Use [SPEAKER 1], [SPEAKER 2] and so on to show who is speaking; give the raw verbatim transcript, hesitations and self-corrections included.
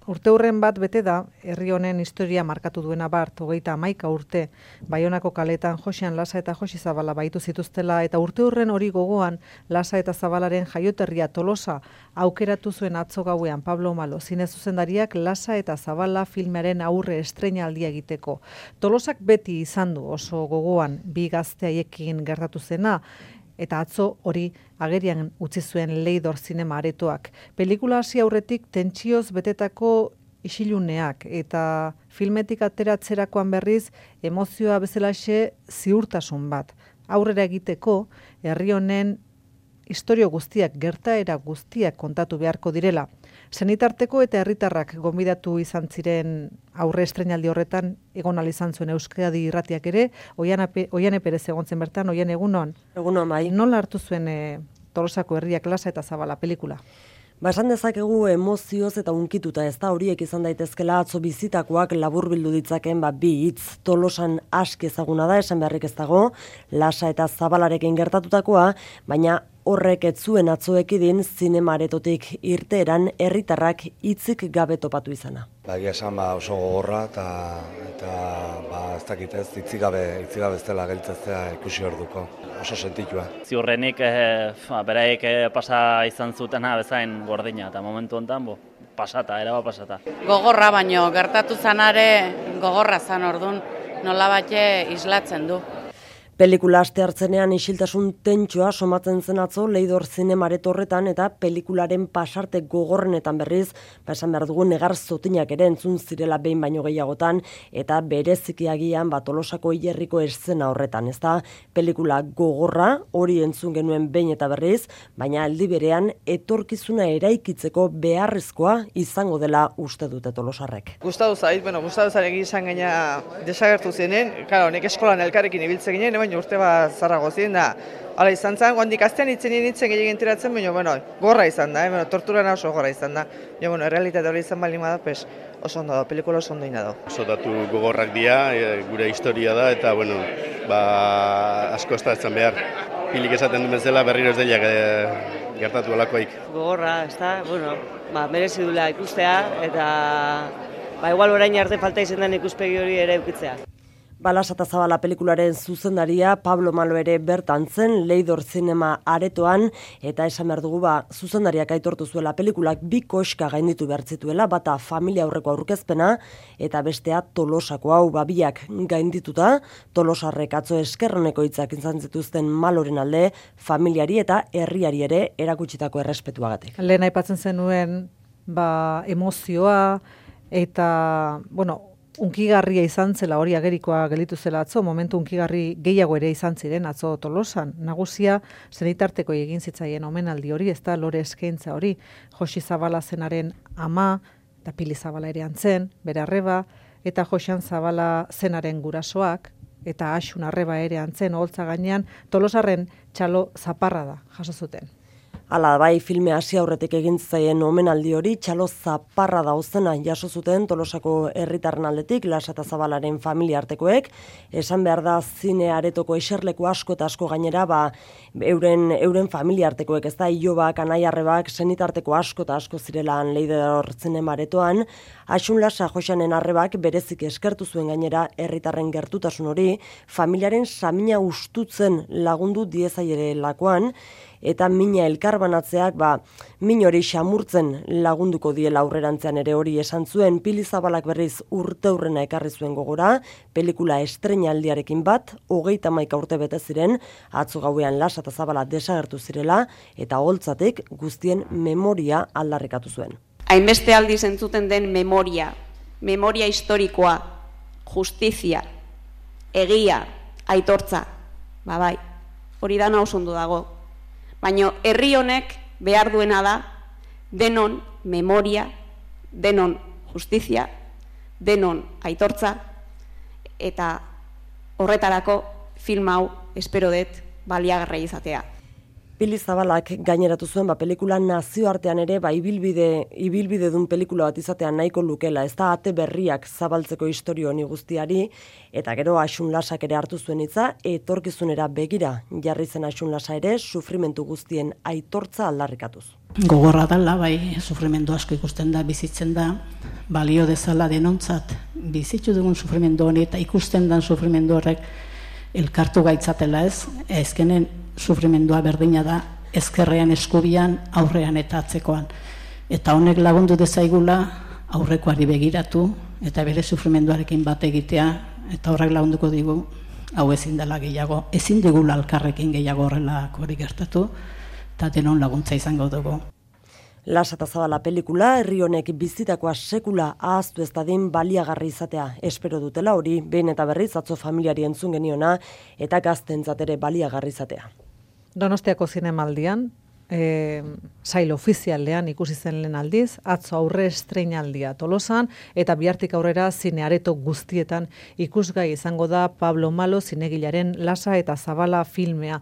[SPEAKER 1] urteurren bat bete da, herri honen historia markatu duena bart, hogeita hamaika urte, Baionako kaletan Joxean Lasa eta Joxi Zabala baitu zituztela, eta urteurren hori gogoan Lasa eta Zabalaren jaioterria Tolosa aukeratu zuen atzo gauean Pablo Malo, zine zuzendariak Lasa eta Zabala filmearen aurre estreinaldia egiteko. Tolosak beti izan du oso gogoan bi gazte haiekin gertatu zena, eta atzo hori agerian utzi zuen Leidor zinema aretoak. Pelikula hasi aurretik tentsioz betetako isiluneak eta filmetik ateratzerakoan berriz emozioa bezalaxe ziurtasun bat. Aurrera egiteko herri honen istorio guztiak, gertaera guztiak kontatu beharko direla. Senitarteko eta herritarrak gonbidatu izan ziren aurre estreinaldi horretan egon ahal izan zuen Euskadi Irratiak ere, Oiane Perez egon zen bertan, Oiane egunon.
[SPEAKER 2] Egunon bai.
[SPEAKER 1] Nola hartu zuen e, Tolosako herriak Lasa eta Zabala pelikula?
[SPEAKER 2] Ba, esan dezakegu emozioz eta unkituta, ez da horiek izan daitezkela atzo bizitakoak laburbildu ditzaken ba, bi hitz. Tolosan aski ezaguna da, esan beharrik ez dago, Lasa eta Zabalarekin gertatutakoa, baina horrek ez zuen atzoekidin zinemaretotik irteeran herritarrak hitzik gabe topatu izana.
[SPEAKER 3] Ba, egia esan ba, oso gogorra eta eta ba, ez dakit ez, hitzik gabe, hitzik gabe ez dela geltzezea ikusi orduko. Oso sentitua.
[SPEAKER 4] Ziurrenik eh, beraiek eh, pasa izan zutena bezain gordina eta momentu honetan bo, pasata, eraba pasata.
[SPEAKER 5] Gogorra baino gertatu zanare gogorra zan ordun nolabait islatzen du.
[SPEAKER 2] Pelikula aste hartzenean isiltasun tentsioa somatzen zen atzo Leidor zinemaret horretan eta pelikularen pasarte gogorrenetan berriz, ba esan behar dugu negar zotinak ere entzun zirela behin baino gehiagotan eta bereziki agian ba Tolosako hilerriko eszena horretan, ezta? Pelikula gogorra hori entzun genuen behin eta berriz, baina aldi berean etorkizuna eraikitzeko beharrezkoa izango dela uste dute tolosarrek.
[SPEAKER 6] Gustatu zait, bueno, gustatu zarek izan gaina desagertu zenen, claro, nek eskolan elkarrekin ibiltzen ginen, baina urte bat zarrago ziren da. Hala izan zen, guandik astean itzen itzen gehiagin tiratzen, baina, bueno, gorra izan da, eh? Bueno, torturana oso gorra izan da. Ja, bueno, errealitate hori izan bali da, pues, oso ondo da, pelikula oso ondo ina da.
[SPEAKER 7] Oso datu gogorrak dira, e, gure historia da, eta, bueno, ba, asko ez da etzan behar. Pilik esaten du bezala berriro ez dela e, gertatu alakoik.
[SPEAKER 8] Gogorra, ez da, bueno, ba, merezi dula ikustea, eta ba, igual orain arte falta izan den ikuspegi hori ere eukitzea.
[SPEAKER 2] Lasa eta Zabala pelikularen zuzendaria Pablo Malo ere bertan zen Leidor zinema aretoan eta esan behar dugu ba, zuzendariak aitortu zuela pelikulak bi koska gainditu bertzituela, bata familia aurreko aurkezpena eta bestea Tolosako hau babiak gaindituta, Tolosarrek atzo eskerroneko hitzak izan zituzten Maloren alde, familiari eta herriari ere erakutsitako errespetuagatik.
[SPEAKER 1] Lehen aipatzen zenuen ba, emozioa eta, bueno, unkigarria izan zela hori agerikoa gelditu zela atzo, momentu unkigarri gehiago ere izan ziren atzo Tolosan. Nagusia senitarteko egin zitzaien omenaldi hori, ez da lore eskaintza hori. Joxi Zabala zenaren ama, eta Pili Zabala ere antzen, bere arreba, eta Joxean Zabala zenaren gurasoak, eta Axun arreba ere antzen, oholtza gainean, Tolosarren txalo zaparra da, jaso zuten.
[SPEAKER 2] Hala, bai, filme hasi aurretik egin zaien omenaldi hori, txalo zaparra dauzena jaso zuten Tolosako herritarren aldetik, Lasa eta Zabalaren familia artekoek, esan behar da zine aretoko eserleko asko eta asko gainera, ba, euren, euren familia artekoek, ez da, ilobak, anaiarrebak, senitarteko asko eta asko zirelan Leidor zinema aretoan, Axun Lasa Joxanen arrebak berezik eskertu zuen gainera herritarren gertutasun hori, familiaren samina ustutzen lagundu diezaiere lakoan, eta mina elkarbanatzeak ba, min hori xamurtzen lagunduko diela aurrerantzean ere hori esan zuen. Pili Zabalak berriz urteurrena ekarri zuen gogora, pelikula estreinaldiarekin bat, hogeita hamaika urte bete ziren, atzo gauean Lasa eta Zabala desagertu zirela, eta holtzatik guztien memoria aldarrikatu zuen.
[SPEAKER 9] Hainbeste aldiz entzuten den memoria, memoria historikoa, justizia, egia, aitortza, ba bai, hori dana oso ondo dago. Baina herri honek behar duena da denon memoria, denon justizia, denon aitortza, eta horretarako film hau espero dut baliagarria izatea.
[SPEAKER 2] Pili Zabalak gaineratu zuen ba pelikula nazioartean ere ba ibilbide ibilbide dun pelikula bat izatea nahiko lukela, ez da ate berriak zabaltzeko istorio honi guztiari, eta gero Axun Lasak ere hartu zuen hitza, etorkizunera begira jarri zen Axun Lasa ere sufrimentu guztien aitortza aldarrikatuz.
[SPEAKER 10] Gogorra dela, bai, sufrimendu asko ikusten da, bizitzen da, balio dezala denontzat bizitzu dugun sufrimendu honi eta ikusten dan sufrimendu horrek elkartu gaitzatela ez, ezkenen sufrimendua berdina da ezkerrean eskubian aurrean eta atzekoan. Eta honek lagundu dezaigula aurrekoari begiratu eta bere sufrimenduarekin bat egitea eta horrek lagunduko digu hau ezin dela gehiago, ezin digula alkarrekin gehiago horrelako hori gertatu eta denon laguntza izango dugu.
[SPEAKER 2] Lasa eta Zabala pelikula herri honek bizitakoa sekula ahaztu ez dadin baliagarri izatea espero dutela hori behin eta berriz atzo familiari entzun geniona eta gaztentzat ere baliagarri izatea.
[SPEAKER 1] Donostiako zinemaldian, e, sail ofizialean ikusi zen lehen aldiz, atzo aurre estreinaldia Tolosan eta bihartik aurrera zineareto guztietan ikusgai izango da Pablo Malo zinegilaren Lasa eta Zabala filmea.